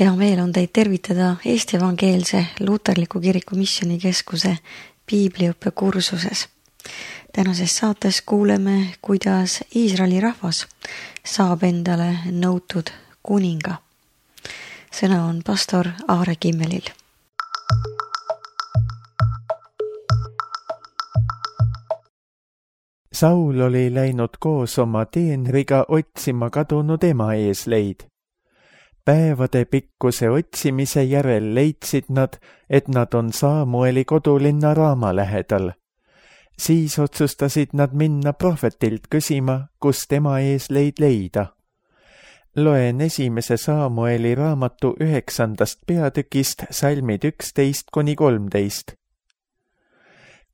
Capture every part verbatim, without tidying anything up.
Hea meel on teid tervitada Eesti Evangeelse Luterliku Kiriku Missioonikeskuse piibliõppe kursuses. Tänases saates kuuleme, kuidas Iisraeli rahvas saab endale nõutud kuninga. Sõna on pastor Aare Kimmelil. Saul oli läinud koos oma teenriga otsima kadunud ema eesleid. Päevade pikkuse otsimise järel leidsid nad, et nad on Saamueli kodulinna Raama lähedal. Siis otsustasid nad minna prohvetilt küsima, kus tema eesleid leida. Loen esimese Saamueli raamatu üheksandast peatükist salmid üksteist kuni kolmteist.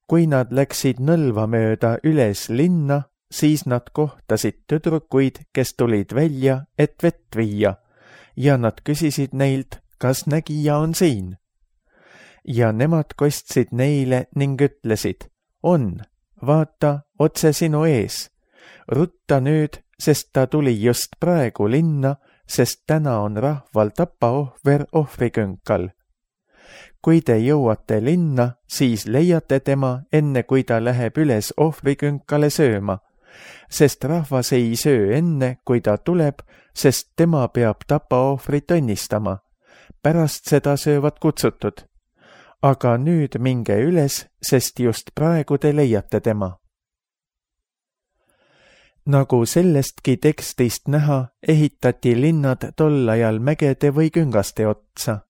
Kui nad läksid nõlva mööda üles linna, siis nad kohtasid tüdrukuid, kes tulid välja, et vett viia, ja nad küsisid neilt, kas nägija on siin. Ja nemad kostsid neile ning ütlesid, on, vaata, otse sinu ees. Rutta nüüd, sest ta tuli just praegu linna, sest täna on rahval tapaohver ohvrikünkal. Kui te jõuate linna, siis leiate tema, enne kui ta läheb üles ohvrikünkale sööma, sest rahvas ei söö enne, kui ta tuleb, sest tema peab tapaohvrit õnnistama. Pärast seda söövad kutsutud. Aga nüüd minge üles, sest just praegu te leiate tema. Nagu sellestki tekstist näha, ehitati linnad tol ajal mägede või küngaste otsa.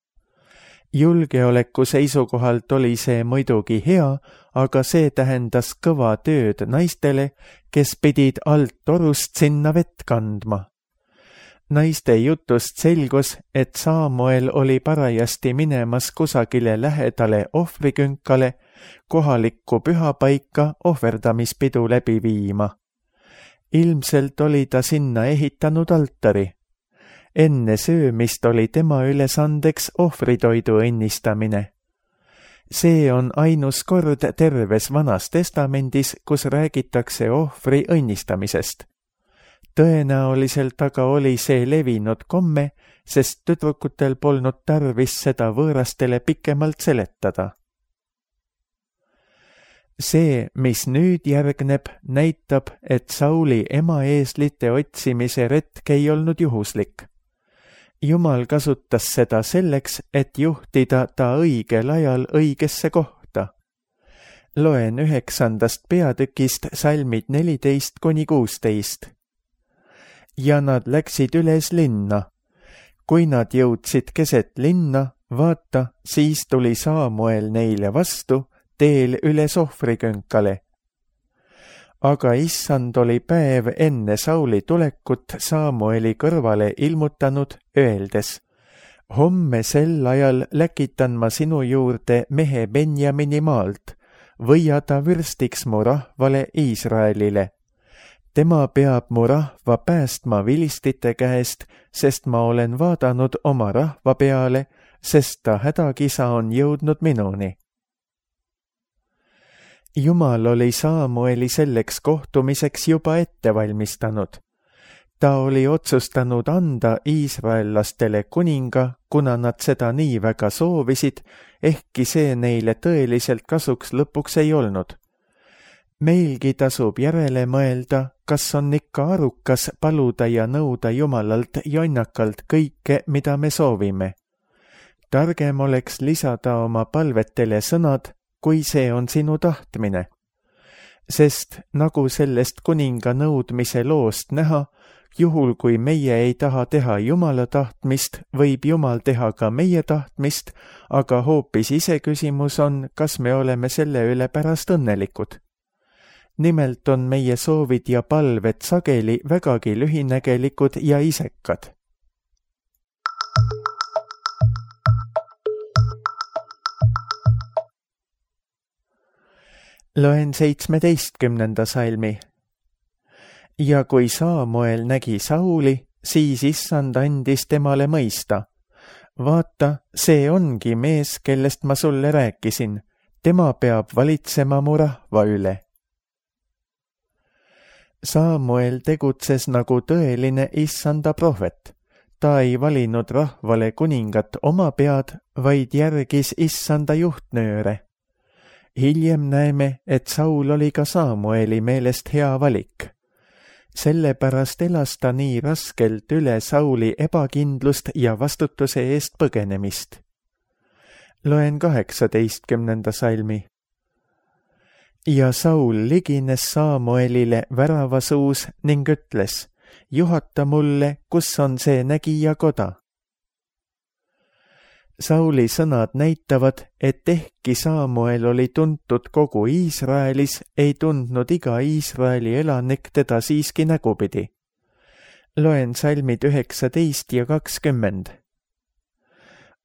Julgeoleku seisukohalt oli see muidugi hea, aga see tähendas kõva tööd naistele, kes pidid alt torust sinna vett kandma. Naiste jutust selgus, et Saamuel oli parajasti minemas kusagile lähedale ohvrikünkale, kohalikku pühapaika ohverdamispidu läbi viima. Ilmselt oli ta sinna ehitanud altari. Enne söömist oli tema ülesandeks ohvritoidu õnnistamine. See on ainus kord terves Vanas Testamendis, kus räägitakse ohvri õnnistamisest. Tõenäoliselt aga oli see levinud komme, sest tüdrukutel polnud tarvis seda võõrastele pikemalt seletada. See, mis nüüd järgneb, näitab, et Sauli ema eeslite otsimise retk ei olnud juhuslik. Jumal kasutas seda selleks, et juhtida ta õigel ajal õigesse kohta. Loen üheksandast peatükist salmid neliteist kuni kuusteist. Ja nad läksid üles linna. Kui nad jõudsid keset linna, vaata, siis tuli Saamuel neile vastu teel üles ohvrikünkale. Aga issand oli päev enne Sauli tulekut Saamueli kõrvale ilmutanud, öeldes, homme sel ajal läkitan ma sinu juurde mehe Benjamini maalt, võia ta vürstiks mu rahvale Iisraelile. Tema peab mu rahva päästma vilistite käest, sest ma olen vaadanud oma rahva peale, sest ta hädakisa on jõudnud minuni. Jumal oli Saamueli selleks kohtumiseks juba ette valmistanud. Ta oli otsustanud anda iisraellastele kuninga, kuna nad seda nii väga soovisid, ehkki see neile tõeliselt kasuks lõpuks ei olnud. Meilgi tasub järele mõelda, kas on ikka arukas paluda ja nõuda Jumalalt jonnakalt kõike, mida me soovime. Targem oleks lisada oma palvetele sõnad, kui see on sinu tahtmine. Sest nagu sellest kuninga nõudmise loost näha, juhul kui meie ei taha teha Jumala tahtmist, võib Jumal teha ka meie tahtmist, aga hoopis iseküsimus on, kas me oleme selle üle pärast õnnelikud. Nimelt on meie soovid ja palved sageli vägagi lühinägelikud ja isekad. Loen seitsmeteistkümnenda salmi. Ja kui Saamuel nägi Sauli, siis issand andis temale mõista. Vaata, see ongi mees, kellest ma sulle rääkisin. Tema peab valitsema mu rahva üle. Saamuel tegutses nagu tõeline issanda prohvet. ta ei valinud rahvale kuningat oma pead, vaid järgis issanda juhtnööre. Hiljem näeme, et Saul oli ka Samueli meelest hea valik. Sellepärast elas ta nii raskelt üle Sauli ebakindlust ja vastutuse eest põgenemist. Loen kaheksateistkümnenda salmi. Ja Saul ligines Samuelile väravasuus ning ütles, juhata mulle, kus on see nägijakoda. Sauli sõnad näitavad, et ehkki Samuel oli tuntud kogu Iisraelis, ei tundnud iga Iisraeli elanik teda siiski nägupidi. Loen salmid üheksateist ja kakskümmend.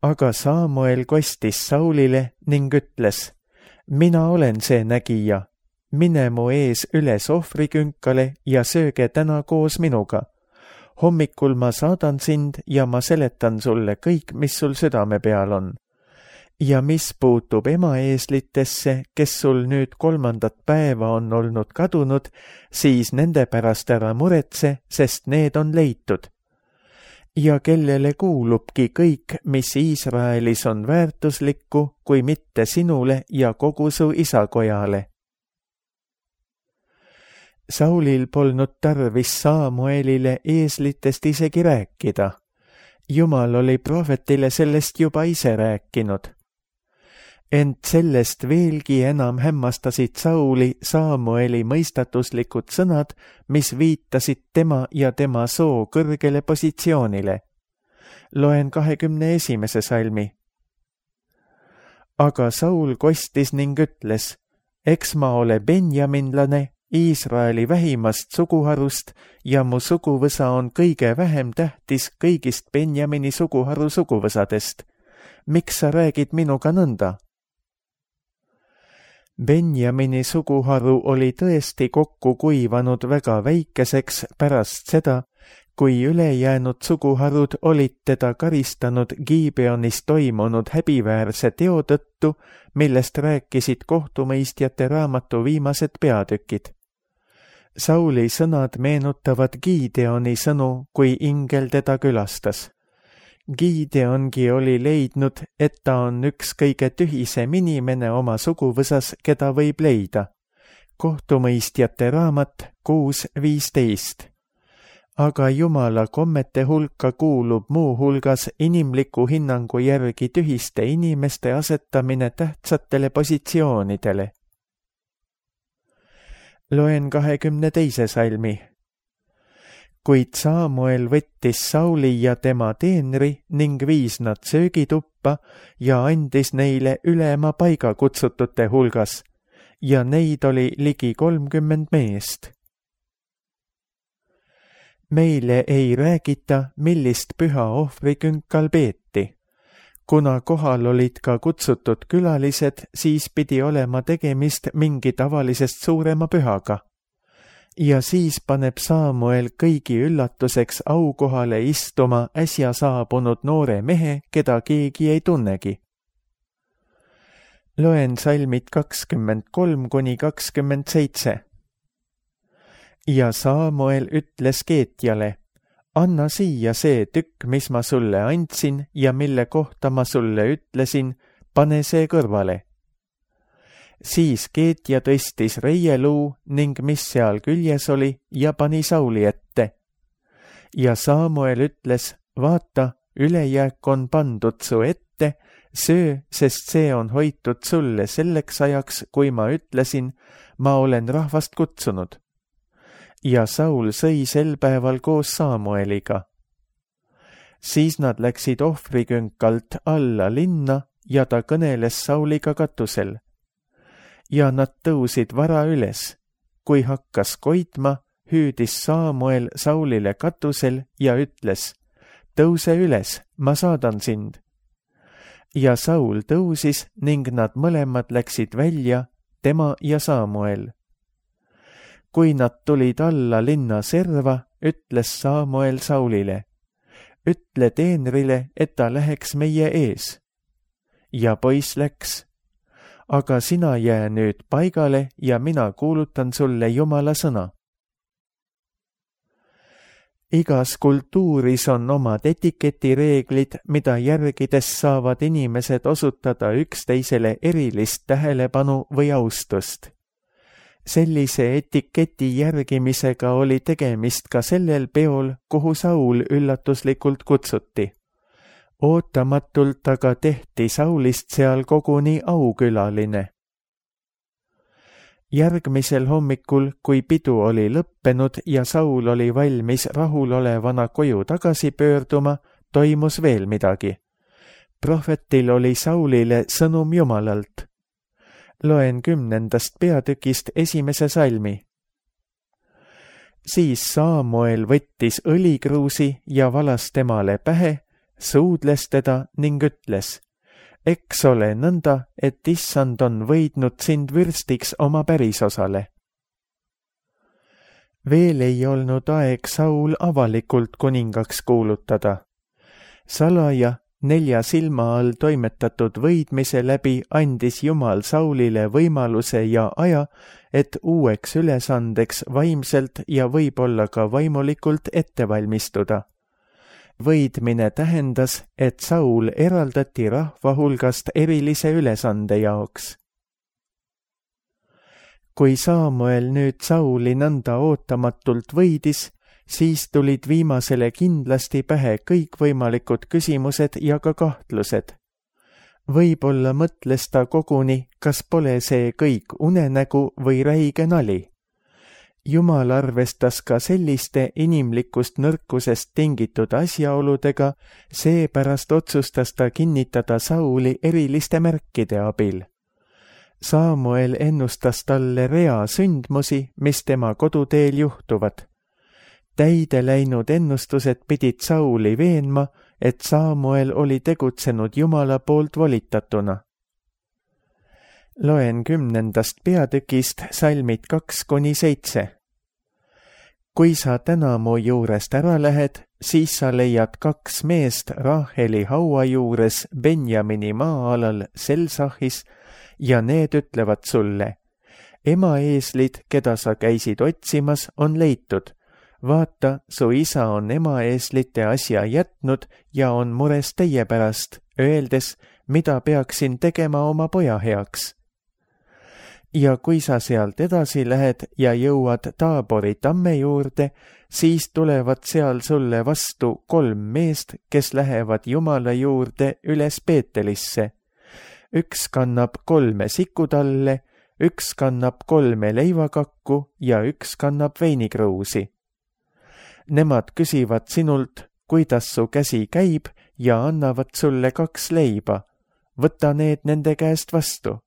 Aga Samuel kostis Saulile ning ütles, mina olen see nägija, mine mu ees üles ohvrikünkale ja sööge täna koos minuga. Hommikul ma saadan sind ja ma seletan sulle kõik, mis sul südame peal on. Ja mis puutub emaeeslitesse, kes sul nüüd kolmandat päeva on olnud kadunud, siis nende pärast ära muretse, sest need on leitud. Ja kellele kuulubki kõik, mis Iisraelis on väärtuslikku, kui mitte sinule ja kogu su isakojale. Saulil polnud tarvis Samuelile eeslitest isegi rääkida. Jumal oli prohvetile sellest juba ise rääkinud. Ent sellest veelgi enam hämmastasid Sauli Samueli mõistatuslikud sõnad, mis viitasid tema ja tema soo kõrgele positsioonile. Loen kahekümne esimese salmi. Aga Saul kostis ning ütles, eks ma ole benjaminlane, Iisraeli vähimast suguharust ja mu suguvõsa on kõige vähem tähtis kõigist Benjamini suguharu suguvõsadest. Miks sa räägid minuga nõnda? Benjamini suguharu oli tõesti kokku kuivanud väga väikeseks pärast seda, kui ülejäänud suguharud olid teda karistanud Gibeonis toimunud häbiväärse teo tõttu, millest rääkisid kohtumõistjate raamatu viimased peatükid. Sauli sõnad meenutavad Gideoni sõnu, kui ingel teda külastas. Gideongi oli leidnud, et ta on üks kõige tühisem inimene oma suguvõsas, keda võib leida. Kohtumõistjate raamat kuus viisteist. Aga Jumala kommete hulka kuulub muu hulgas inimliku hinnangu järgi tühiste inimeste asetamine tähtsatele positsioonidele. Loen kahekümne teise salmi. Kuid Samuel võttis Sauli ja tema teenri ning viis nad söögituppa ja andis neile ülema paiga kutsutute hulgas, ja neid oli ligi kolmkümmend meest. Meile ei räägita, millist püha ohvrikünkal peeti. Kuna kohal olid ka kutsutud külalised, siis pidi olema tegemist mingi tavalisest suurema pühaga. Ja siis paneb Samuel kõigi üllatuseks aukohale istuma äsja saabunud noore mehe, keda keegi ei tunnegi. Loen salmid kakskümmend kolm kuni kakskümmend seitse. Ja Samuel ütles Keetjale, anna siia see tükk, mis ma sulle andsin ja mille kohta ma sulle ütlesin, pane see kõrvale. Siis Keetja tõstis reieluu ning mis seal küljes oli ja pani Sauli ette. Ja Samuel ütles, vaata, ülejääk on pandud su ette, söö, sest see on hoitud sulle selleks ajaks, kui ma ütlesin, ma olen rahvast kutsunud. Ja Saul sõi sel päeval koos Samueliga. Siis nad läksid ohvrikünkalt alla linna ja ta kõneles Sauliga katusel. Ja nad tõusid vara üles. Kui hakkas koitma, hüüdis Samuel Saulile katusel ja ütles, tõuse üles, ma saadan sind. Ja Saul tõusis ning nad mõlemad läksid välja, tema ja Samuel. Kui nad tulid alla linna serva, ütles Samuel Saulile, ütle teenrile, et ta läheks meie ees. Ja poiss läks. Aga sina jää nüüd paigale ja mina kuulutan sulle Jumala sõna. igas kultuuris on omad etiketireeglid, mida järgides saavad inimesed osutada üksteisele erilist tähelepanu või austust. Sellise etiketi järgimisega oli tegemist ka sellel peol, kuhu Saul üllatuslikult kutsuti. Ootamatult aga tehti Saulist seal koguni aukülaline. Järgmisel hommikul, kui pidu oli lõppenud ja Saul oli valmis rahulolevana koju tagasi pöörduma, toimus veel midagi. Prohvetil oli Saulile sõnum Jumalalt. Loen kümnendast peatükist esimese salmi. Siis Saamuel võttis õlikruusi ja valas temale pähe, suudles teda ning ütles: eks ole nõnda, et issand on võidnud sind vürstiks oma pärisosale. Veel ei olnud aeg Saul avalikult kuningaks kuulutada. Salaja nelja silma all toimetatud võidmise läbi andis Jumal Saulile võimaluse ja aja, et uueks ülesandeks vaimselt ja võib-olla ka vaimulikult ette valmistuda. Võidmine tähendas, et Saul eraldati rahva hulgast erilise ülesande jaoks. Kui Saamuel nüüd Sauli nõnda ootamatult võidis, siis tulid viimasele kindlasti pähe kõikvõimalikud küsimused ja ka kahtlused. Võib-olla mõtles ta koguni, kas pole see kõik unenägu või räige nali. Jumal arvestas ka selliste inimlikust nõrkusest tingitud asjaoludega, seepärast otsustas ta kinnitada Sauli eriliste märkide abil. Saamuel ennustas talle rea sündmusi, mis tema koduteel juhtuvad. Täide läinud ennustused pidid Sauli veenma, et Saamuel oli tegutsenud Jumala poolt volitatuna. Loen kümnendast peatükist salmid kaks kuni seitse. Kui sa täna mu juurest ära lähed, siis sa leiad kaks meest Raheli haua juures Benjamini maa-alal Selsahis ja need ütlevad sulle: ema eeslid, keda sa käisid otsimas, on leitud. Vaata, su isa on ema eeslite asja jätnud ja on mures teie pärast, öeldes, mida peaksin tegema oma poja heaks. Ja kui sa sealt edasi lähed ja jõuad Taabori tamme juurde, siis tulevad seal sulle vastu kolm meest, kes lähevad Jumala juurde üles Peetelisse. Üks kannab kolme sikutalle, üks kannab kolme leivakakku ja üks kannab veinikruusi. Nemad küsivad sinult, kuidas su käsi käib ja annavad sulle kaks leiba. Võta need nende käest vastu.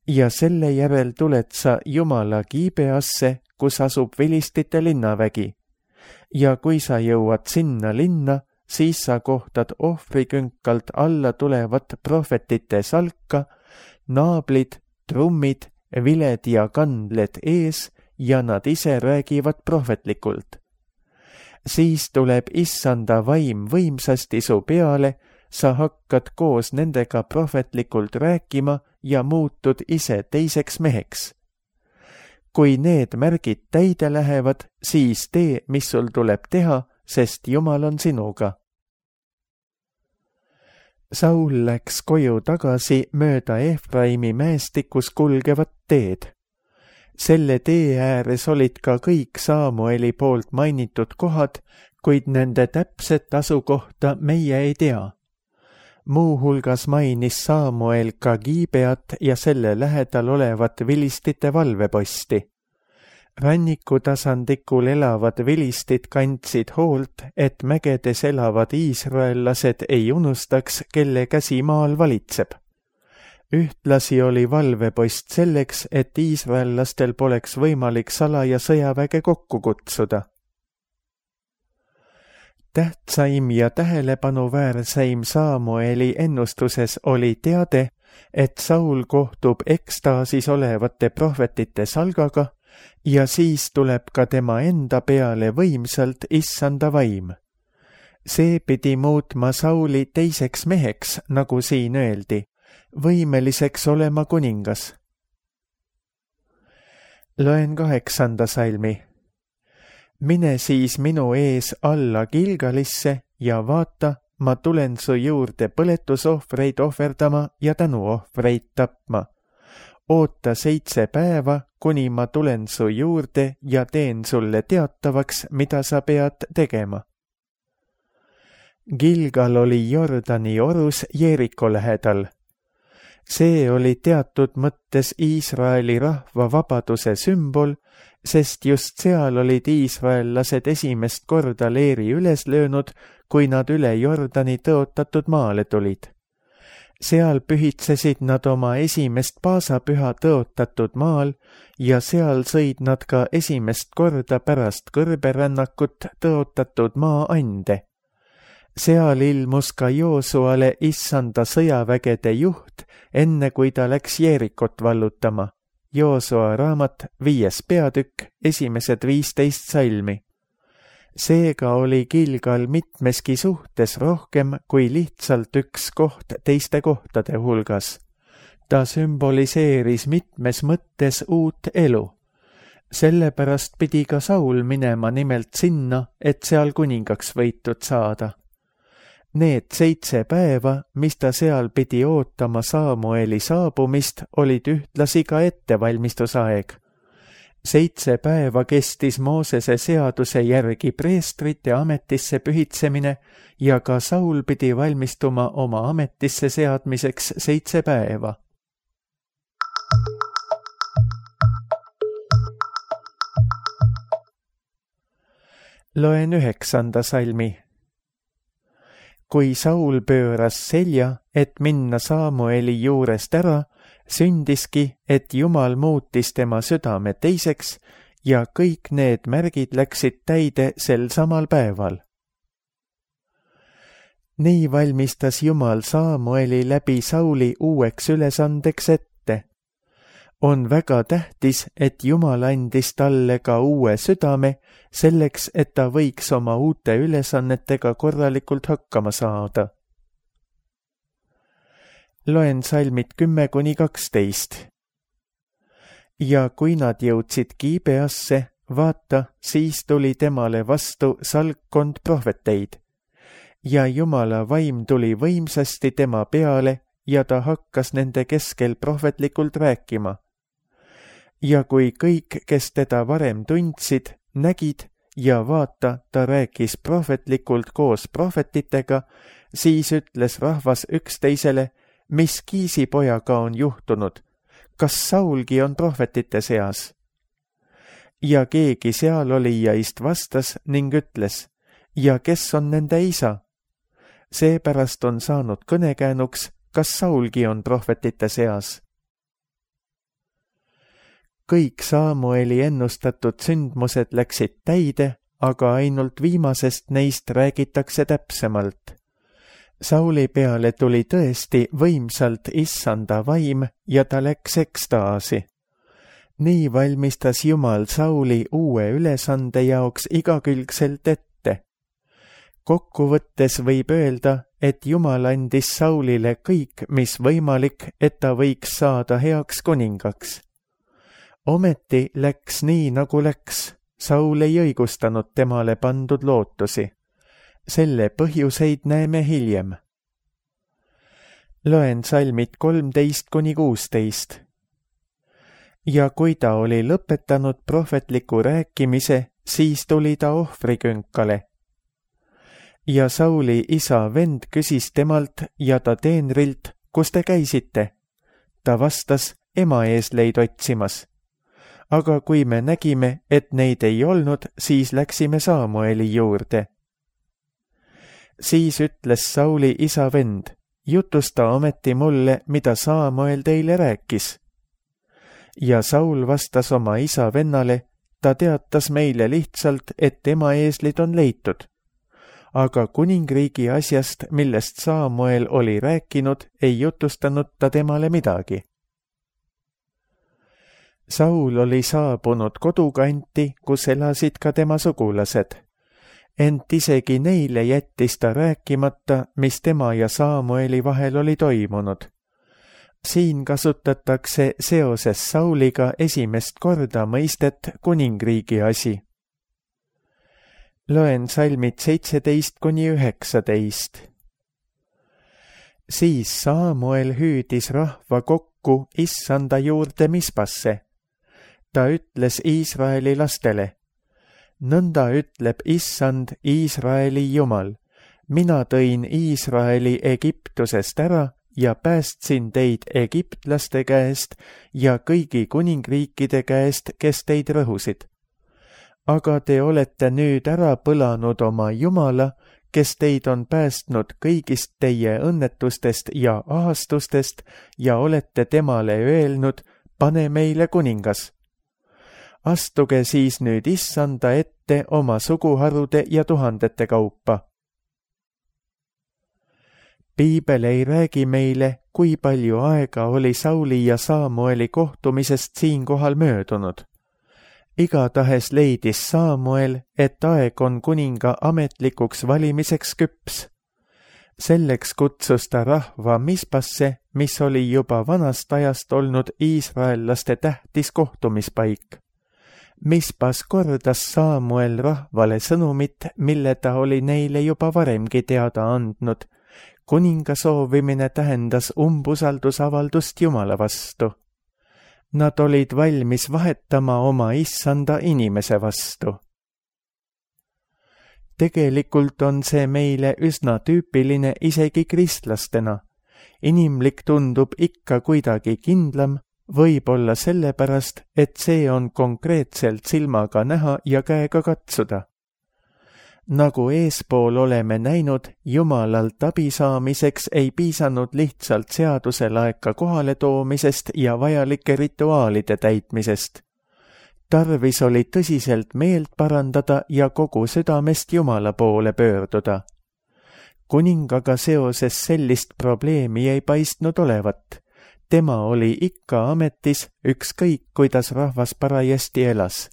Ja selle järel tuled sa Jumala Gibeasse, kus asub vilistite linnavägi. Ja kui sa jõuad sinna linna, siis sa kohtad ohvrikünkalt alla tulevat prohvetite salka, naablid, trummid, viled ja kandled ees ja nad ise räägivad prohvetlikult. Siis tuleb issanda vaim võimsasti su peale, sa hakkad koos nendega prohvetlikult rääkima ja muutud ise teiseks meheks. Kui need märgid täide lähevad, siis tee, mis sul tuleb teha, sest Jumal on sinuga. Saul läks koju tagasi mööda Efraimi mäestikus kulgevat teed. Selle tee ääres olid ka kõik Saamueli poolt mainitud kohad, kuid nende täpset asukohta meie ei tea. Muuhulgas mainis Saamuel ka Gibeat ja selle lähedal olevat vilistite valveposti. Rannikutasandikul elavad vilistid kandsid hoolt, et mägedes elavad iisraellased ei unustaks, kelle käsi maal valitseb. Ühtlasi oli valvepost selleks, et iisraellastel poleks võimalik salaja sõjaväge kokku kutsuda. Tähtsaim ja tähelepanuväärseim Saamueli ennustuses oli teade, et Saul kohtub ekstaasis olevate prohvetite salgaga ja siis tuleb ka tema enda peale võimsalt issanda vaim. See pidi muutma Sauli teiseks meheks, nagu siin öeldi, võimeliseks olema kuningas. Loen kaheksanda salmi. mine siis minu ees alla Gilgalisse ja vaata, ma tulen su juurde põletusohvreid ohverdama ja tänuohvreid tapma. Oota seitse päeva, kuni ma tulen su juurde ja teen sulle teatavaks, mida sa pead tegema. Gilgal oli Jordani orus Jeeriko lähedal. See oli teatud mõttes Iisraeli rahva vabaduse sümbol, sest just seal olid iisraellased esimest korda leeri üles löönud, kui nad üle Jordani tõotatud maale tulid. Seal pühitsesid nad oma esimest paasapüha tõotatud maal ja seal sõid nad ka esimest korda pärast kõrberännakut tõotatud maa ande. Seal ilmus ka Joosuale issanda sõjavägede juht, enne kui ta läks Jeerikot vallutama. Joosua raamat viies peatükk, esimesed viisteist salmi. Seega oli Gilgal mitmeski suhtes rohkem kui lihtsalt üks koht teiste kohtade hulgas. Ta sümboliseeris mitmes mõttes uut elu. Sellepärast pidi ka Saul minema nimelt sinna, et seal kuningaks võitud saada. Need seitse päeva, mis ta seal pidi ootama Saamueli saabumist, olid ühtlasi ka ettevalmistusaeg. Seitse päeva kestis Moosese seaduse järgi preestrite ametisse pühitsemine ja ka Saul pidi valmistuma oma ametisse seadmiseks seitse päeva. Loen üheksanda salmi. Kui Saul pööras selja, et minna Saamueli juurest ära, sündiski, et Jumal muutis tema südame teiseks ja kõik need märgid läksid täide sel samal päeval. Nii valmistas Jumal Saamueli läbi Sauli uueks ülesandeks ette. On väga tähtis, et Jumal andis talle ka uue südame, selleks, et ta võiks oma uute ülesannetega korralikult hakkama saada. Loen salmid kümme kuni kaksteist. Ja kui nad jõudsid Gibeasse, vaata, siis tuli temale vastu salkkond prohveteid. Ja Jumala vaim tuli võimsasti tema peale ja ta hakkas nende keskel prohvetlikult rääkima. Ja kui kõik, kes teda varem tundsid, nägid ja vaata, ta rääkis prohvetlikult koos prohvetitega, siis ütles rahvas üksteisele, mis Kiisipojaga on juhtunud, kas Saulgi on prohvetite seas? Ja keegi seal olijaist vastas ning ütles, ja kes on nende isa? Seepärast on saanud kõnekäänuks, kas Saulgi on prohvetite seas? Kõik Saamueli ennustatud sündmused läksid täide, aga ainult viimasest neist räägitakse täpsemalt. Sauli peale tuli tõesti võimsalt issanda vaim ja ta läks ekstaasi. Nii valmistas Jumal Sauli uue ülesande jaoks igakülgselt ette. Kokkuvõttes võib öelda, et Jumal andis Saulile kõik, mis võimalik, et ta võiks saada heaks kuningaks. Ometi läks nii, nagu läks. Saul ei õigustanud temale pandud lootusi. Selle põhjuseid näeme hiljem. Loen salmid kolmteist kuni kuusteist. Ja kui ta oli lõpetanud prohvetliku rääkimise, siis tuli ta ohvrikünkale. Ja Sauli isa vend küsis temalt ja ta teenrilt, kus te käisite? Ta vastas, ema eesleid otsimas. Aga kui me nägime, et neid ei olnud, siis läksime Saamueli juurde. Siis ütles Sauli isa vend, jutusta ometi mulle, mida Saamuel teile rääkis. Ja Saul vastas oma isa vennale, ta teatas meile lihtsalt, et tema eeslid on leitud. Aga kuningriigi asjast, millest Saamuel oli rääkinud, ei jutustanud ta temale midagi. Saul oli saabunud kodukanti, kus elasid ka tema sugulased. Ent isegi neile jättis ta rääkimata, mis tema ja Saamueli vahel oli toimunud. Siin kasutatakse seoses Sauliga esimest korda mõistet kuningriigi asi. Loen salmid seitseteist kuni üheksateist. Siis Saamuel hüüdis rahva kokku issanda juurde Mispasse. Ta ütles Iisraeli lastele: nõnda ütleb issand Iisraeli Jumal, mina tõin Iisraeli Egiptusest ära ja päästsin teid egiptlaste käest ja kõigi kuningriikide käest, kes teid rõhusid. Aga te olete nüüd ära põlanud oma Jumala, kes teid on päästnud kõigist teie õnnetustest ja ahastustest ja olete temale öelnud: pane meile kuningas. Astuge siis nüüd issanda ette oma suguharude ja tuhandete kaupa. Piibel ei räägi meile, kui palju aega oli Sauli ja Saamueli kohtumisest siinkohal möödunud. Igatahes leidis Saamuel, et aeg on kuninga ametlikuks valimiseks küps. Selleks kutsus ta rahva Mispasse, mis oli juba vanast ajast olnud iisraellaste tähtis kohtumispaik. Mispas kordas Saamuel rahvale sõnumit, mille ta oli neile juba varemgi teada andnud. Kuninga soovimine tähendas umbusaldusavaldust Jumala vastu. Nad olid valmis vahetama oma issanda inimese vastu. Tegelikult on see meile üsna tüüpiline isegi kristlastena. Inimlik tundub ikka kuidagi kindlam, võib-olla sellepärast, et see on konkreetselt silmaga näha ja käega katsuda. Nagu eespool oleme näinud, Jumalalt abi saamiseks ei piisanud lihtsalt seaduse laeka kohale toomisest ja vajalike rituaalide täitmisest. Tarvis oli tõsiselt meelt parandada ja kogu südamest Jumala poole pöörduda. Kuningaga seoses sellist probleemi ei paistnud olevat. Tema oli ikka ametis, ükskõik kuidas rahvas parajasti elas.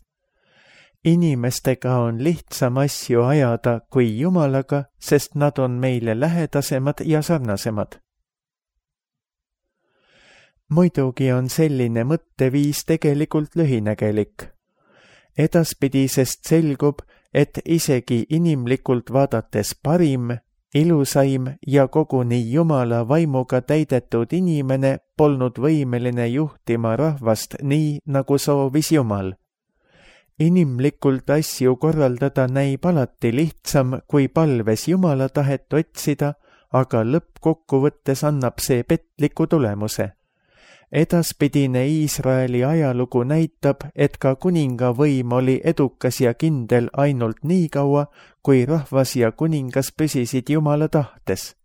Inimestega on lihtsam asju ajada kui Jumalaga, sest nad on meile lähedasemad ja sarnasemad. Muidugi on selline mõtteviis tegelikult lühinägelik. Edaspidisest selgub, et isegi inimlikult vaadates parim, ilusaim ja koguni Jumala vaimuga täidetud inimene polnud võimeline juhtima rahvast nii, nagu soovis Jumal. Inimlikult asju korraldada näib alati lihtsam, kui palves Jumala tahet otsida, aga lõppkokkuvõttes annab see petliku tulemuse. Edaspidine Iisraeli ajalugu näitab, et ka kuninga võim oli edukas ja kindel ainult nii kaua, kui rahvas ja kuningas püsisid Jumala tahtes.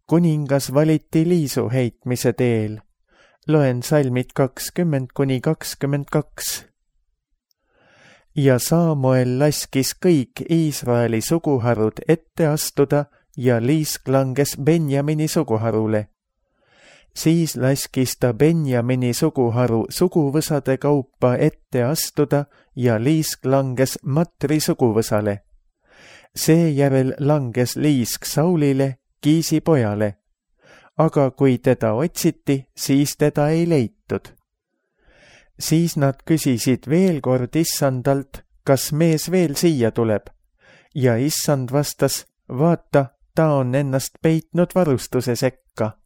Kuningas valiti liisu heitmise teel. Loen salmid kakskümmend kuni kakskümmend kaks. Ja Saamuel laskis kõik Iisraeli suguharud ette astuda ja liisk langes Benjamini suguharule. Siis laskis ta Benjamini suguharu suguvõsade kaupa ette astuda ja liisk langes Matri suguvõsale. Seejärel langes liisk Saulile, Kiisi pojale, aga kui teda otsiti, siis teda ei leitud. Siis nad küsisid veel kord issandalt, kas mees veel siia tuleb, ja issand vastas: vaata, ta on ennast peitnud varustuse sekka.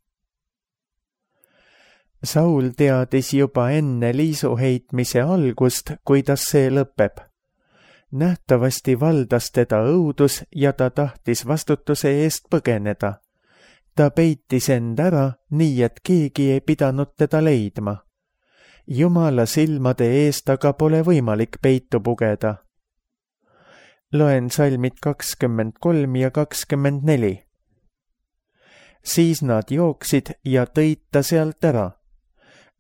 Saul teadis juba enne liisu heitmise algust, kuidas see lõpeb. Nähtavasti valdas teda õudus ja ta tahtis vastutuse eest põgeneda. Ta peitis end ära, nii et keegi ei pidanud teda leidma. Jumala silmade eest aga pole võimalik peitu pugeda. Loen salmid kakskümmend kolm ja kakskümmend neli. Siis nad jooksid ja tõid ta sealt ära.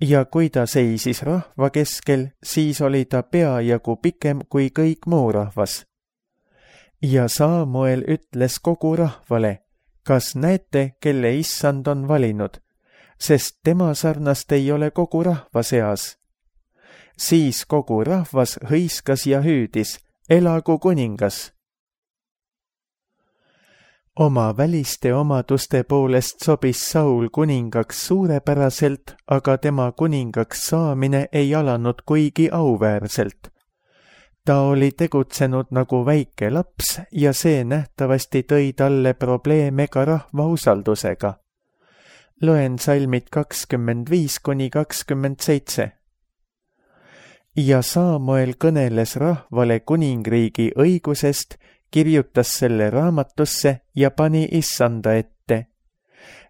Ja kui ta seisis rahva keskel, siis oli ta peajagu pikem kui kõik muu rahvas. Ja Saamuel ütles kogu rahvale: kas näete, kelle issand on valinud, sest tema sarnast ei ole kogu rahva seas. Siis kogu rahvas hõiskas ja hüüdis: elagu kuningas! Oma väliste omaduste poolest sobis Saul kuningaks suurepäraselt, aga tema kuningaks saamine ei alanud kuigi auväärselt. Ta oli tegutsenud nagu väike laps ja see nähtavasti tõi talle probleeme ka rahva usaldusega. Loen salmid kakskümmend viis kuni kakskümmend seitse. Ja Samuel kõneles rahvale kuningriigi õigusest, kirjutas selle raamatusse ja pani issanda ette.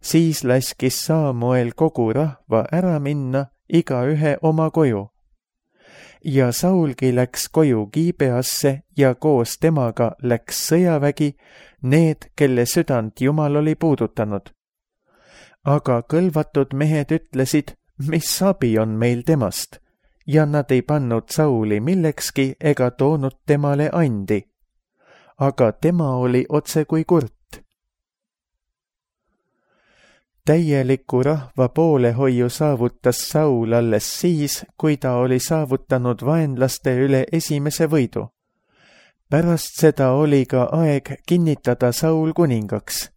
Siis laskis Samuel kogu rahva ära minna, igaühe oma koju. Ja Saulgi läks koju Gibeasse ja koos temaga läks sõjavägi, need, kelle südant Jumal oli puudutanud. Aga kõlvatud mehed ütlesid, mis abi on meil temast, ja nad ei pannud Sauli millekski ega toonud temale andi. Aga tema oli otse kui kurt. Täieliku rahva poolehoiu saavutas Saul alles siis, kui ta oli saavutanud vaenlaste üle esimese võidu. Pärast seda oli ka aeg kinnitada Saul kuningaks.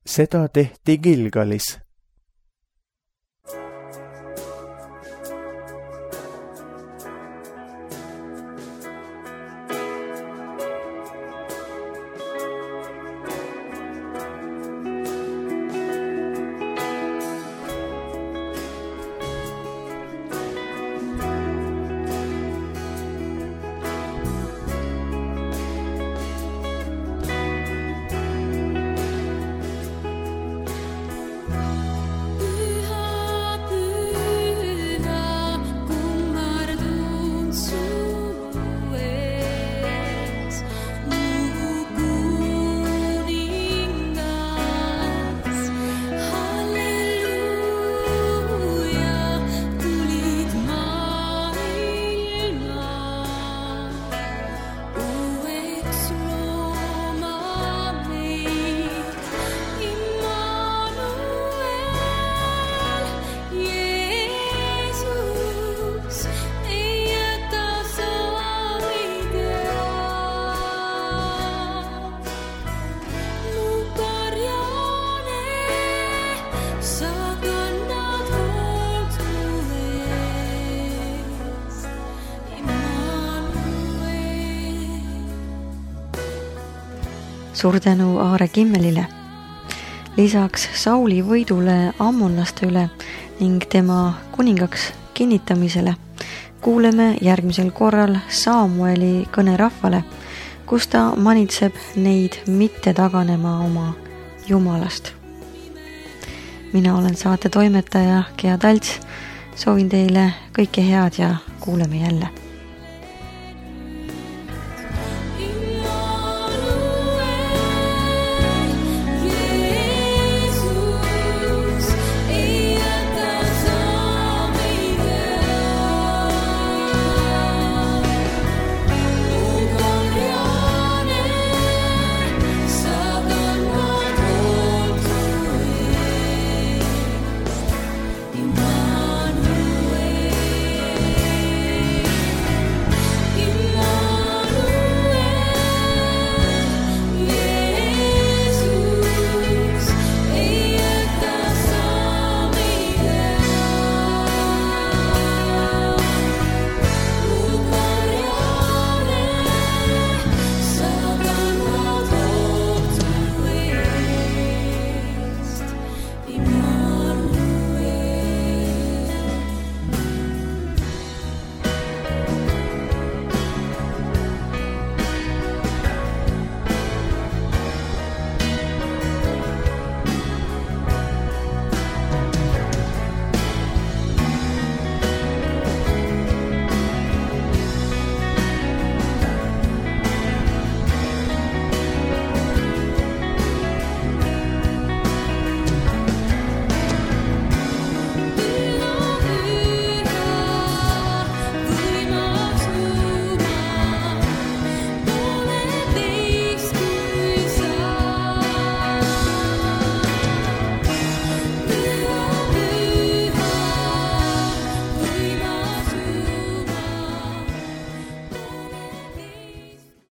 Seda tehti Gilgalis. Suur tänu Aare Kimmelile. Lisaks Sauli võidule ammonlaste üle ning tema kuningaks kinnitamisele kuuleme järgmisel korral Samueli kõne rahvale, kus ta manitseb neid mitte taganema oma Jumalast. Mina olen saate toimetaja Gea Talts. Soovin teile kõike head ja kuuleme jälle.